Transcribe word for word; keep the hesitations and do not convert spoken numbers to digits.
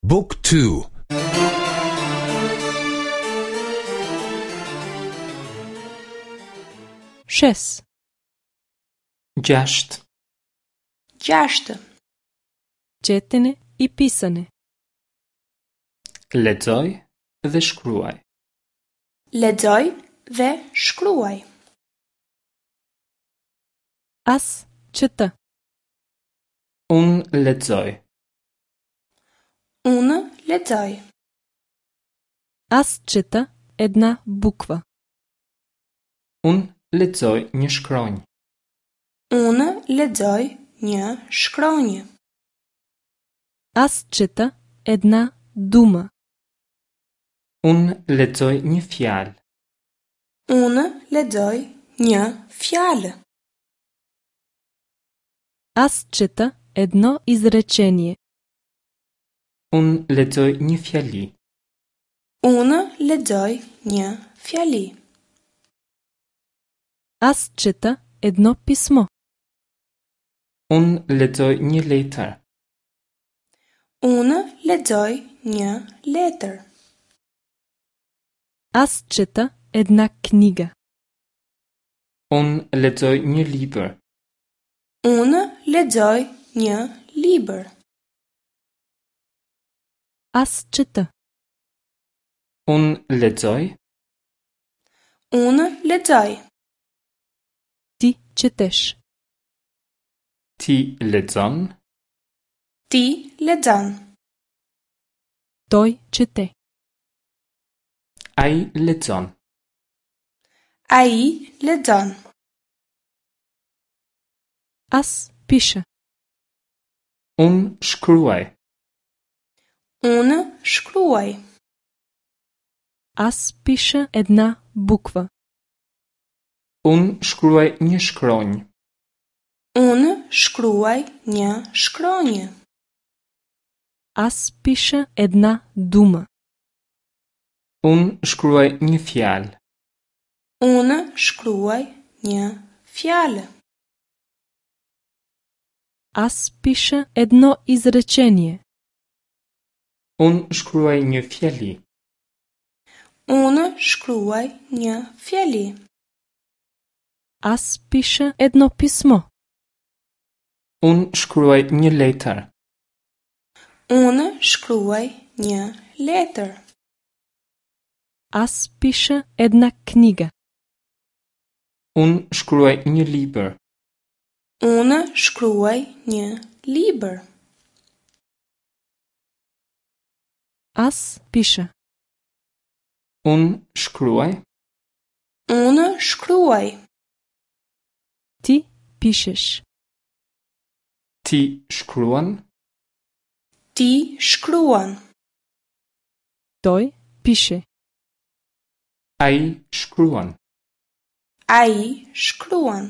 Book two. Шест. Gjashtë. Gjashtë. Четене и писане. Lexoj dhe shkruaj. Lexoj dhe shkruaj. Аз чета. Unë lexoj. Unë lexoj. Аз чета една буква. Unë lexoj një shkronjë. Unë lexoj një shkronjë. Аз чета една дума. Unë lexoj një fjalë. Unë lexoj një fjalë. Аз чета едно изречение. Unë lexoj një fjali. Unë lexoj një fjali. Аз чета едно писмо. Unë lexoj një letër. Unë lexoj një letër. Аз чета една книга. Unë lexoj një libër. Unë lexoj një libër. Аз чета. Unë lexoj. Unë lexoj. Ти четеш. Ti lexon. Ti lexon. Той чете. Ai lexon. Ai lexon. Аз пиша. Unë shkruaj. Unë shkruaj. Аз пиша една буква. Unë shkruaj një shkronjë. Unë shkruaj një shkronjë. Аз пиша една дума. Unë shkruaj një fjalë. Unë shkruaj një fjalë. Аз пиша едно изречение. Unë shkruaj një fjali. Unë shkruaj një fjali. Аз пиша едно писмо. Unë shkruaj një letër. Unë shkruaj një letër. Аз пиша една книга. Unë shkruaj një libër. Unë shkruaj një libër. Аз пиша. Unë shkruaj. Unë shkruaj. Ти пишеш. Ti shkruan. Ti shkruan. Той пише. Ai shkruan. Ai shkruan.